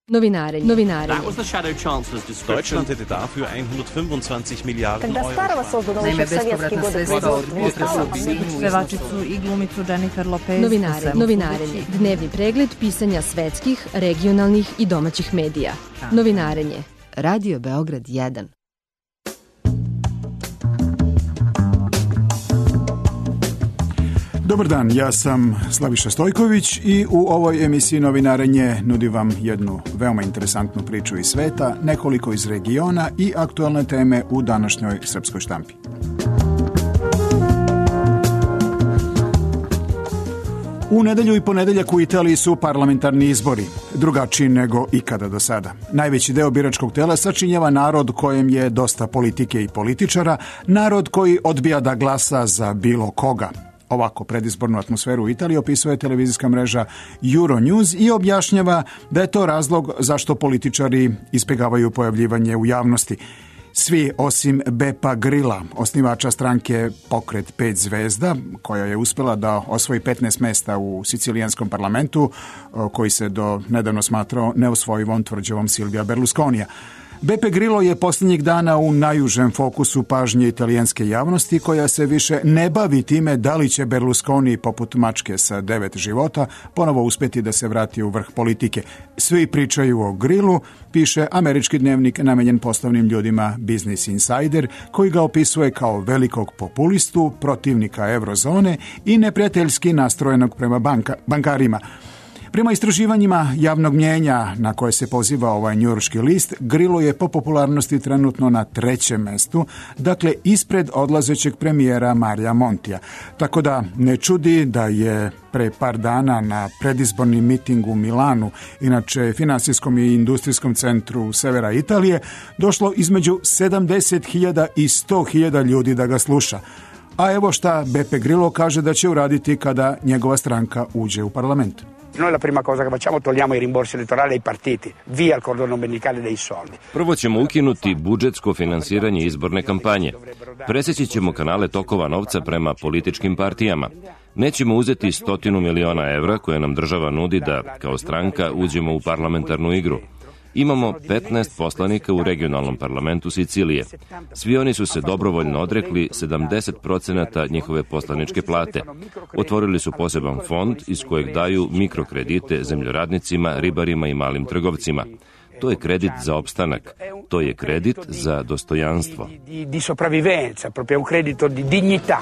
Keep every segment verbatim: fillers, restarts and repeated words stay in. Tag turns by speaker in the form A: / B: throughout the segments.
A: Novinarenje. Novinarenje.
B: Deutschland hätte dafür hundertfünfundzwanzig Miliarden Euro.
C: Naime, bespovratna sredstva od pevačicu i glumicu Jennifer Lopez.
A: Novinarenje. Novinarenje. Dnevni pregled pisanja svetskih, regionalnih i domaćih medija. Novinarenje. Radio Beograd jedan.
D: Dobar dan, ja sam Slaviša Stojković i u ovoj emisiji Novinarenje nudim vam jednu veoma interesantnu priču iz sveta, nekoliko iz regiona i aktualne teme u današnjoj srpskoj štampi. U nedelju i ponedeljak u Italiji su parlamentarni izbori, drugačiji nego ikada do sada. Najveći deo biračkog tela sačinjava narod kojem je dosta politike i političara, narod koji odbija da glasa za bilo koga. Ovako predizbornu atmosferu u Italiji opisuje televizijska mreža Euronews i objašnjava da je to razlog zašto političari izbjegavaju pojavljivanje u javnosti. Svi osim Bepa Grilla, osnivača stranke Pokret pet zvezda, koja je uspjela da osvoji petnaest mesta u sicilijanskom parlamentu, koji se do nedavno smatrao neosvojivom tvrđavom Silvija Berlusconija. Beppe Grillo je posljednjih dana u najužem fokusu pažnje italijanske javnosti, koja se više ne bavi time da li će Berlusconi, poput mačke sa devet života, ponovo uspjeti da se vrati u vrh politike. Svi pričaju o Grillu, piše američki dnevnik namenjen poslovnim ljudima Business Insider, koji ga opisuje kao velikog populistu, protivnika eurozone i neprijateljski nastrojenog prema banka, bankarima. Prema istraživanjima javnog mnijenja na koje se poziva ovaj njujorški list, Grillo je po popularnosti trenutno na trećem mestu, dakle ispred odlazećeg premijera Marija Montija. Tako da ne čudi da je pre par dana na predizborni miting u Milanu, inače finansijskom i industrijskom centru severa Italije, došlo između sedamdeset hiljada i sto hiljada ljudi da ga sluša. A evo šta Beppe Grillo kaže da će uraditi kada njegova stranka uđe u parlament.
E: Noi la prima cosa che facciamo togliamo i rimborsi elettorali ai partiti, via il cordone ombelicale dei soldi.
F: Prvo ćemo ukinuti budžetsko finansiranje izborne kampanje. Preseći ćemo kanale tokova novca prema političkim partijama. Nećemo uzeti stotinu miliona evra koje nam država nudi da, kao stranka, uđemo u parlamentarnu igru. Imamo petnaest poslanika u regionalnom parlamentu Sicilije. Svi oni su se dobrovoljno odrekli sedamdeset procenata njihove poslaničke plate. Otvorili su poseban fond iz kojeg daju mikrokredite zemljoradnicima, ribarima i malim trgovcima. To je kredit za opstanak. To je kredit za dostojanstvo.
E: Di sopravvivenza, proprio un credito di dignità.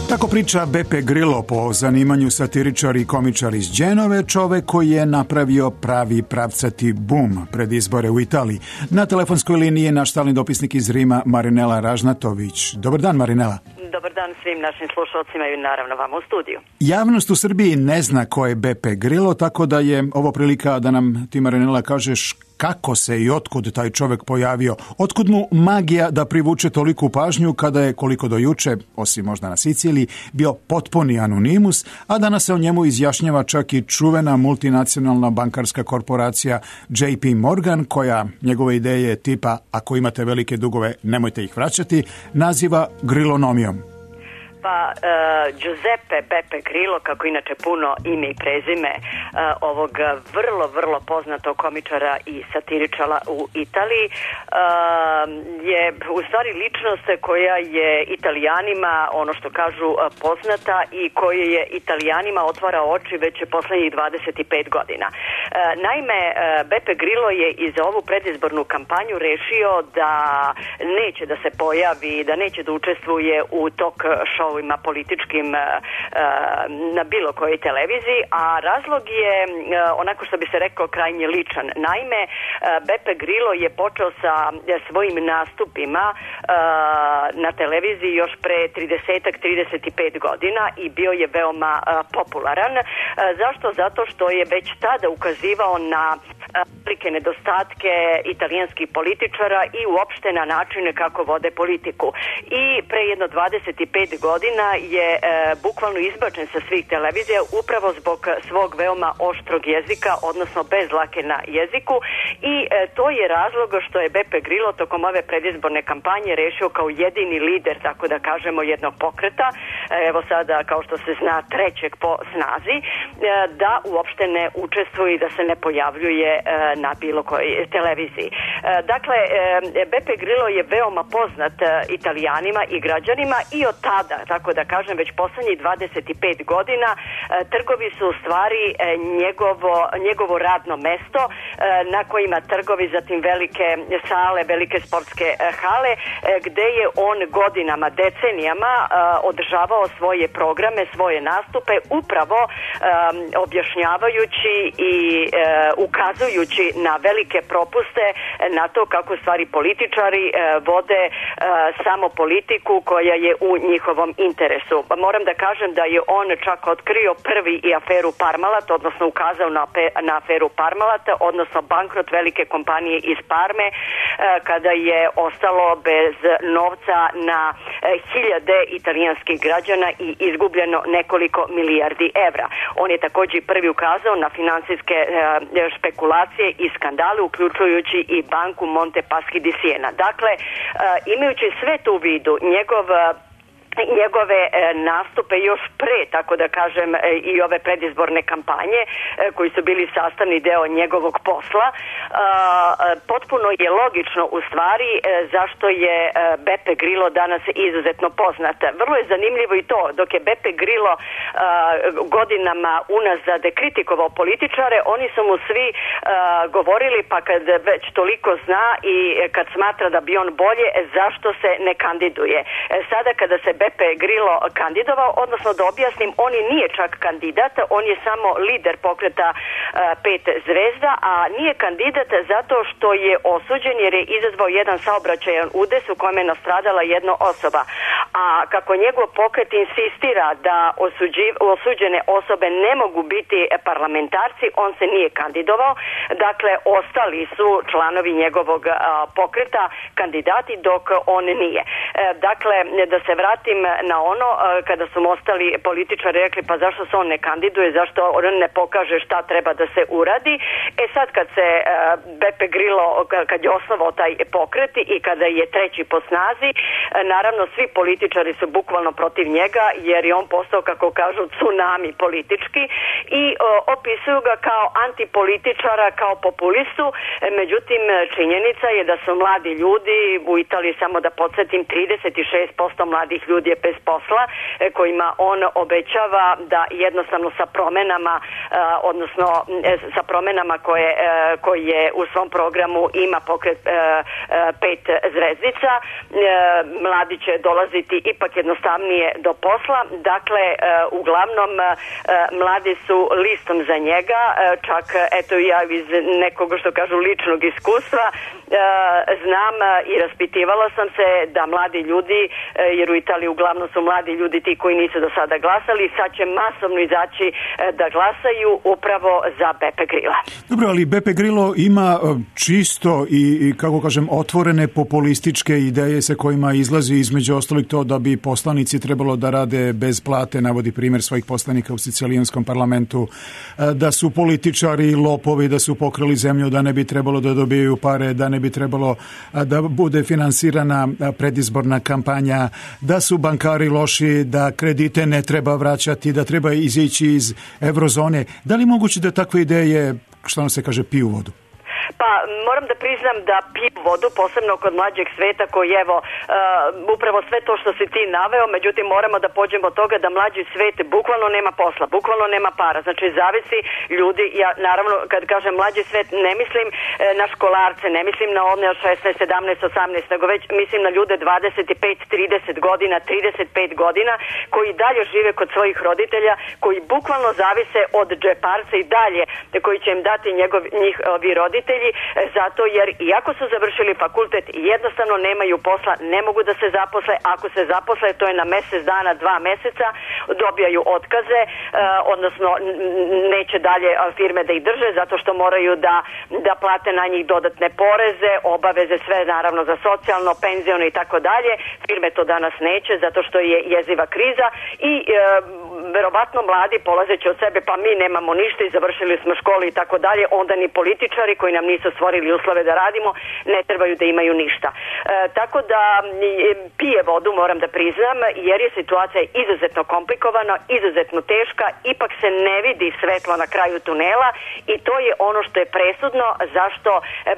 D: Tako priča Beppe Grillo, po zanimanju satiričar i komičar iz Dženove, čovek koji je napravio pravi pravcati bum pred izbore u Italiji. Na telefonskoj liniji je naš stalni dopisnik iz Rima, Marinela Ražnatović. Dobar dan, Marinela.
G: Dobar dan svim našim slušalcima i naravno vama u studiju.
D: Javnost u Srbiji ne zna ko je Beppe Grillo, tako da je ovo prilika da nam ti, Marinela, kažeš kako se i otkud taj čovek pojavio. Otkud mu magija da privuče toliku pažnju kada je, koliko do juče, osim možda na Siciliji, bio potpuni anonimus, a danas se o njemu izjašnjava čak i čuvena multinacionalna bankarska korporacija J P Morgan, koja njegove ideje tipa ako imate velike dugove nemojte ih vraćati, naziva Grillonomijom.
G: Pa uh, Giuseppe Beppe Grillo, kako inače puno ime i prezime uh, ovog vrlo, vrlo poznatog komičara i satiričara u Italiji, uh, je u stvari ličnost koja je Italijanima, ono što kažu, uh, poznata i koja je Italijanima otvara oči već poslednjih dvadeset pet godina. Uh, naime, uh, Beppe Grillo je i za ovu predizbornu kampanju rešio da neće da se pojavi, da neće da učestvuje u talk show političkim na bilo kojoj televiziji, a razlog je, onako što bi se rekao, krajnje ličan. Naime, Beppe Grillo je počeo sa svojim nastupima na televiziji još pre trideset do trideset pet godina i bio je veoma popularan. Zašto? Zato što je već tada ukazivao na velike nedostatke italijanskih političara i uopšte na načine kako vode politiku. I pre jedno dvadeset pet godina je e, bukvalno izbačen sa svih televizija upravo zbog svog veoma oštrog jezika, odnosno bez lake na jeziku i e, to je razlog što je Beppe Grillo tokom ove predizborne kampanje rešio kao jedini lider, tako da kažemo, jednog pokreta, evo sada kao što se zna trećeg po snazi, da uopšte ne učestvuje i da se ne pojavljuje na bilo kojoj televiziji. Dakle, Beppe Grillo je veoma poznat Italijanima i građanima i od tada, tako da kažem, već poslednjih dvadeset pet godina trgovi su u stvari njegovo, njegovo radno mesto na kojima trgovi, zatim velike sale, velike sportske hale, gde je on godinama, decenijama održavao svoje programe, svoje nastupe, upravo um, objašnjavajući i uh, ukazujući na velike propuste na to kako stvari političari uh, vode uh, samo politiku koja je u njihovom interesu. Moram da kažem da je on čak otkrio prvi i aferu Parmalat, odnosno ukazao na, na aferu Parmalat, odnosno bankrot velike kompanije iz Parme, uh, kada je ostalo bez novca na uh, hiljade italijanskih građana i izgubljeno nekoliko milijardi evra. On je također prvi ukazao na finansijske e, špekulacije i skandale, uključujući i banku Monte Paschi di Siena. Dakle, e, imajući sve to u vidu, njegov njegove e, nastupe još pre, tako da kažem, e, i ove predizborne kampanje e, koji su bili sastavni deo njegovog posla, e, potpuno je logično u stvari e, zašto je e, Beppe Grillo danas izuzetno poznat. Vrlo je zanimljivo i to, dok je Beppe Grillo e, godinama unazad kritikovao političare, oni su mu svi e, govorili, pa kad već toliko zna i kad smatra da bi on bolje, zašto se ne kandiduje. E, sada kada se Beppe Grillo kandidovao, odnosno da objasnim, on i nije čak kandidat, on je samo lider pokreta uh, pet zvezda, a nije kandidat zato što je osuđen jer je izazvao jedan saobraćajan udes u kojem je nastradala jedna osoba. A kako njegov pokret insistira da osuđi, osuđene osobe ne mogu biti parlamentarci, on se nije kandidovao, dakle ostali su članovi njegovog uh, pokreta kandidati dok on nije. Uh, dakle, da se vratim na ono, kada su mu ostali političari rekli pa zašto se on ne kandiduje, zašto on ne pokaže šta treba da se uradi. E sad kad se Beppe Grillo, kad je osnovao taj pokret i kada je treći po snazi, naravno svi političari su bukvalno protiv njega jer je on postao, kako kažu, tsunami politički i opisuju ga kao antipolitičara, kao populistu. Međutim, činjenica je da su mladi ljudi u Italiji, samo da podsjetim, trideset šest posto mladih ljudi je bez posla, kojima on obećava da jednostavno sa promenama, odnosno sa promenama koje, koje u svom programu ima pokret pet zvezdica, mladi će dolaziti ipak jednostavnije do posla. Dakle, uglavnom mladi su listom za njega, čak eto ja iz nekog, što kažu, ličnog iskustva znam i raspitivala sam se da mladi ljudi, jer u Italiji uglavnom su mladi ljudi ti koji nisu do sada glasali, sad će masovno izaći da glasaju upravo za Beppe Grillo.
D: Dobro, ali Beppe Grillo ima čisto i, i kako kažem, otvorene populističke ideje sa kojima izlazi između ostalih to da bi poslanici trebalo da rade bez plate, navodi primjer svojih poslanika u sicilijanskom parlamentu, da su političari lopovi, da su pokrali zemlju, da ne bi trebalo da dobijaju pare, da ne bi trebalo da bude finansirana predizborna kampanja, da su bankari loši, da kredite ne treba vraćati, da treba izići iz eurozone. Da li je moguće da takve ideje, što nam se kaže, piju vodu?
G: Pa moram da priznam da piju vodu, posebno kod mlađeg sveta koji, evo, uh, upravo sve to što si ti naveo, međutim moramo da pođemo od toga da mlađi svet bukvalno nema posla, bukvalno nema para, znači zavisi ljudi. Ja naravno kad kažem mlađi svet ne mislim uh, na školarce, ne mislim na one od šesnaest, sedamnaest, osamnaest, nego već mislim na ljude dvadeset pet, trideset godina, trideset pet godina koji dalje žive kod svojih roditelja, koji bukvalno zavise od džeparca i dalje koji će im dati njegov, njihovi roditelji detalji, zato jer iako su završili fakultet jednostavno nemaju posla, ne mogu da se zaposle, ako se zaposle to je na mesec dana, dva meseca, dobijaju otkaze, odnosno neće dalje firme da ih drže zato što moraju da, da plate na njih dodatne poreze, obaveze sve naravno za socijalno, penziono i tako dalje. Firme to danas neće zato što je jeziva kriza i e, verovatno mladi polazeći od sebe pa mi nemamo ništa i završili smo školu i tako dalje, onda ni političari koji nam nisu stvorili uslove da radimo ne trebaju da imaju ništa. E, tako da pije vodu, moram da priznam, jer je situacija izuzetno komplikovana, izuzetno teška, ipak se ne vidi svetlo na kraju tunela i to je ono što je presudno zašto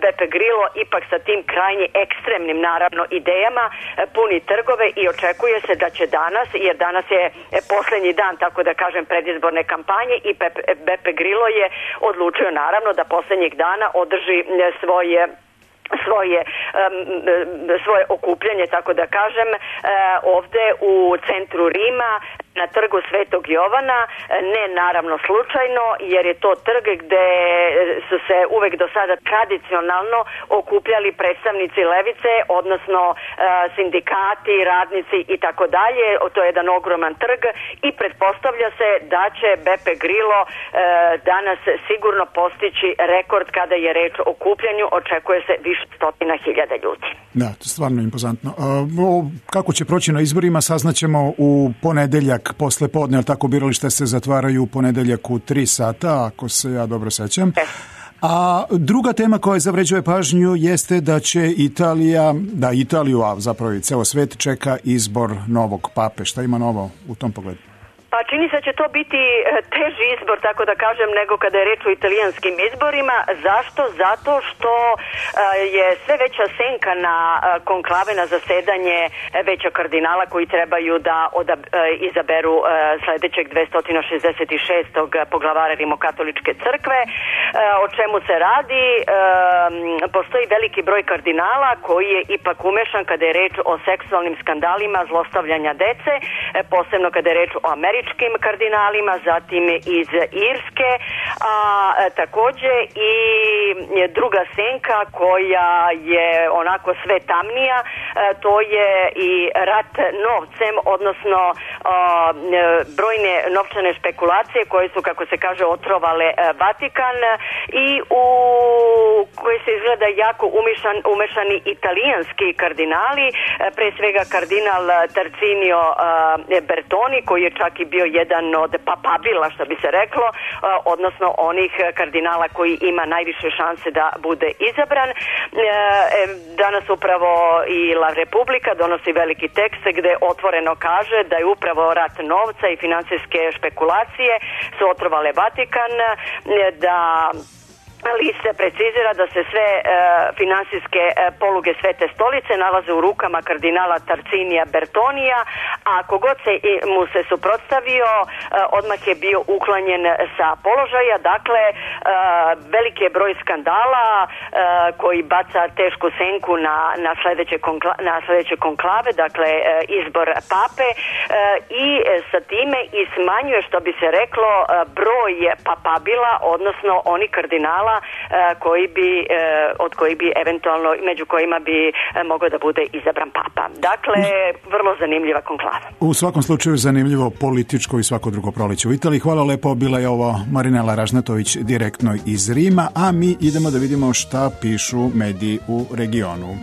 G: Beppe Grillo ipak sa tim krajnje ekstremnim naravno idejama puni trgove i očekuje se da će danas, jer danas je poslednji dan, tako da kažem, predizborne kampanje i Beppe Grillo je odlučio naravno da poslednjeg dana održi svoje svoje svoje okupljanje, tako da kažem, ovde u centru Rima na trgu Svetog Jovana, ne naravno slučajno, jer je to trg gde su se uvek do sada tradicionalno okupljali predstavnici levice, odnosno sindikati, radnici i tako dalje. To je jedan ogroman trg i pretpostavlja se da će Beppe Grillo danas sigurno postići rekord kada je reč o okupljanju, očekuje se više stotina hiljada ljudi.
D: Da, to je stvarno impozantno. Kako će proći na izborima saznaćemo u ponedeljak posle podne, ali tako birališta se zatvaraju u ponedeljak u tri sata, ako se ja dobro sećam. A druga tema koja zavređuje pažnju jeste da će Italija, da Italiju, a zapravo i ceo svet čeka izbor novog pape. Šta ima novo u tom pogledu?
G: Pa čini se da će to biti teži izbor, tako da kažem, nego kada je reč o italijanskim izborima. Zašto? Zato što je sve veća senka na konklave, na zasedanje veća kardinala koji trebaju da odab, izaberu sledećeg dvesta šezdeset šestog poglavara Rimokatoličke crkve. O čemu se radi? Postoji veliki broj kardinala koji je ipak umešan kada je reč o seksualnim skandalima zlostavljanja dece, posebno kada je reč o američkim kardinalima, zatim iz Irske, a takođe i druga senka koja je onako sve tamnija, to je i rat novcem, odnosno brojne novčane špekulacije koje su, kako se kaže, otrovale Vatikan i u koje se izgleda jako umešan, umešani italijanski kardinali, pre svega kardinal Tarcinio Bertoni, koji je čak i bio jedan od papabila, što bi se reklo, odnosno onih kardinala koji ima najviše šanse da bude izabran. Danas upravo i La Republika donosi veliki tekst gde otvoreno kaže da je upravo rat novca i finansijske špekulacije su otrovale Vatikan, da list se precizira da se sve e, finansijske e, poluge Svete stolice nalaze u rukama kardinala Tarcinija Bertonija, a kogod se i, mu se suprotstavio, e, odmah je bio uklanjen sa položaja. Dakle, e, veliki je broj skandala e, koji baca tešku senku na, na, sledeće, konkla, na sledeće konklave, dakle e, izbor pape, e, i sa time i smanjuje, što bi se reklo, e, broj papabila, odnosno oni kardinala koji bi, od koji bi eventualno, među kojima bi mogao da bude izabran papa. Dakle, vrlo zanimljiva konklava.
D: U svakom slučaju zanimljivo političko i svako drugo proleće u Italiji. Hvala lepo, bila je ovo Marinela Ražnatović direktno iz Rima, a mi idemo da vidimo šta pišu mediji u regionu.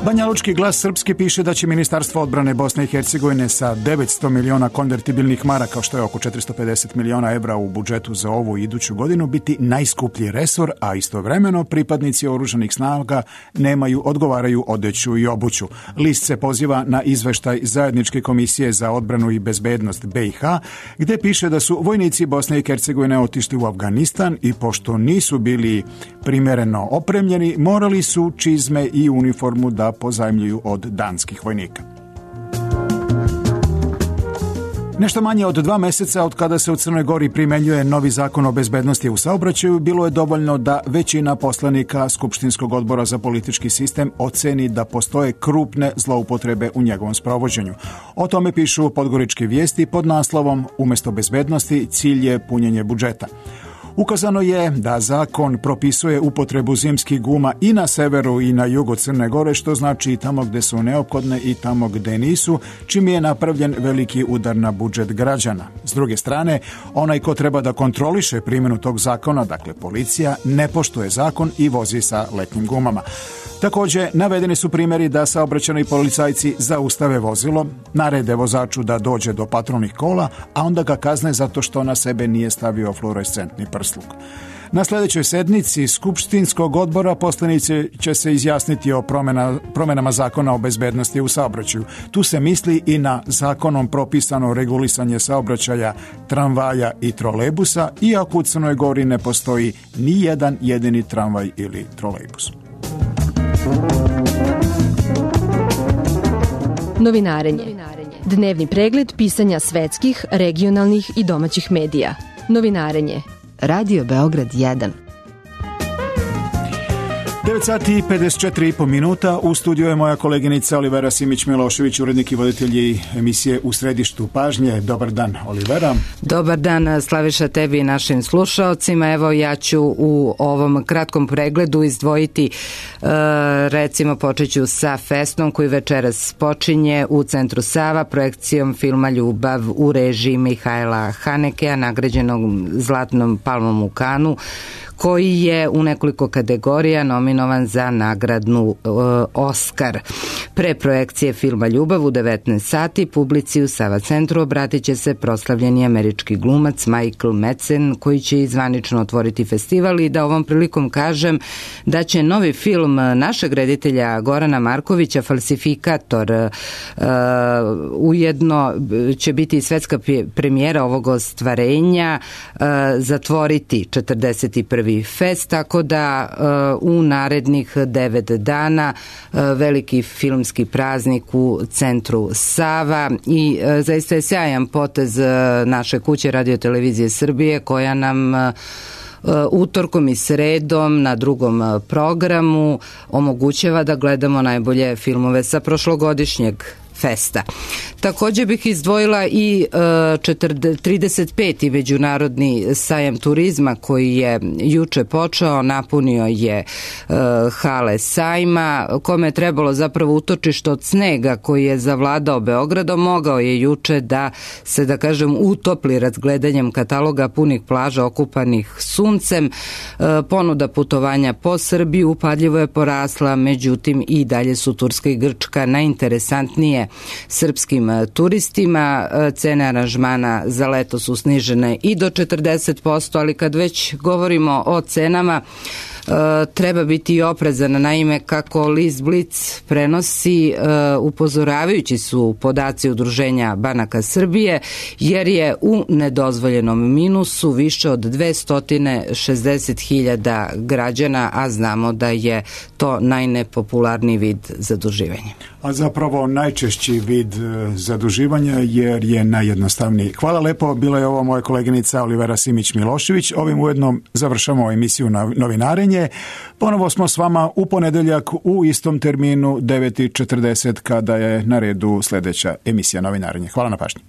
D: Banjalučki glas srpski piše da će Ministarstvo odbrane Bosne i Hercegovine sa devetsto miliona konvertibilnih maraka, što je oko četiristo pedeset miliona evra u budžetu za ovu i iduću godinu, biti najskuplji resor, a istovremeno pripadnici oružanih snaga nemaju odgovaraju odeću i obuću. List se poziva na izveštaj Zajedničke komisije za odbranu i bezbednost B i H, gde piše da su vojnici Bosne i Hercegovine otišli u Afganistan i pošto nisu bili primereno opremljeni, morali su čizme i uniformu da pozajmljuju od danskih vojnika. Nešto manje od dva meseca od kada se u Crnoj Gori primenjuje novi zakon o bezbednosti u saobraćaju, bilo je dovoljno da većina poslanika Skupštinskog odbora za politički sistem oceni da postoje krupne zloupotrebe u njegovom sprovođenju. O tome pišu podgoričke vijesti pod naslovom "Umesto bezbednosti cilj je punjenje budžeta". Ukazano je da zakon propisuje upotrebu zimskih guma i na severu i na jugu Crne Gore, što znači i tamo gde su neophodne i tamo gde nisu, čim je napravljen veliki udar na budžet građana. S druge strane, onaj ko treba da kontroliše primjenu tog zakona, dakle policija, ne poštuje zakon i vozi sa letnjim gumama. Također, navedeni su primjeri da saobraćajni policajci zaustave vozilo, narede vozaču da dođe do patrolnih kola, a onda ga kazne zato što na sebe nije stavio fluorescentni prsluk. Na sljedećoj sednici Skupštinskog odbora poslanici će se izjasniti o promjena, promjenama zakona o bezbednosti u saobraćaju. Tu se misli i na zakonom propisano regulisanje saobraćaja tramvaja i trolejbusa, iako u Crnoj Gori ne postoji ni jedan jedini tramvaj ili trolejbus.
A: Novinarenje. Dnevni pregled pisanja svetskih, regionalnih i domaćih medija. Novinarenje. Radio Beograd jedan.
D: devet sati i pedeset četiri i po minuta. U studiju je moja koleginica Olivera Simić-Milošević, urednik i voditelji emisije U središtu pažnje. Dobar dan, Olivera.
H: Dobar dan, Slaviša, tebi i našim slušaocima. Evo, ja ću u ovom kratkom pregledu izdvojiti, recimo počet ću sa Festom koji večeras počinje u Centru Sava projekcijom filma Ljubav u režiji Mihajla Hanekea, nagrađenog Zlatnom palmom u Kanu, koji je u nekoliko kategorija nominovan za nagradnu e, Oskar. Pre projekcije filma Ljubav u devetnaest sati publici u Sava centru obratit će se proslavljeni američki glumac Michael Madsen, koji će zvanično otvoriti festival, i da ovom prilikom kažem da će novi film našeg reditelja Gorana Markovića, Falsifikator, e, ujedno će biti svetska premijera ovog ostvarenja, e, zatvoriti četrdeset prvi fest, tako da uh, u narednih devet dana uh, veliki filmski praznik u Centru Sava, i uh, zaista je sjajan potez uh, naše kuće Radio-televizije Srbije, koja nam uh, utorkom i sredom na drugom programu omogućava da gledamo najbolje filmove sa prošlogodišnjeg festa. Također bih izdvojila i trideset peti međunarodni sajam turizma koji je juče počeo, napunio je hale sajma, kome je trebalo zapravo utočište od snega koji je zavladao Beogradom, mogao je juče da se, da kažem, utopli razgledanjem kataloga punih plaža okupanih suncem. Ponuda putovanja po Srbiji upadljivo je porasla, međutim i dalje su Turska i Grčka najinteresantnije srpskim turistima. Cene aranžmana za leto su snižene i do četrdeset posto, ali kad već govorimo o cenama, treba biti oprezan. Naime, kako list Blic prenosi, upozoravajući su podaci Udruženja banaka Srbije, jer je u nedozvoljenom minusu više od dvesta šezdeset hiljada građana, a znamo da je to najnepopularniji vid zaduživanja.
D: A zapravo najčešći vid zaduživanja, jer je najjednostavniji. Hvala lepo, bila je ovo moja koleginica Olivera Simić-Milošević. Ovim ujedno završamo emisiju Novinarenje. Ponovo smo s vama u ponedeljak u istom terminu devet i četrdeset, kada je na redu sljedeća emisija Novinarenje. Hvala na pažnji.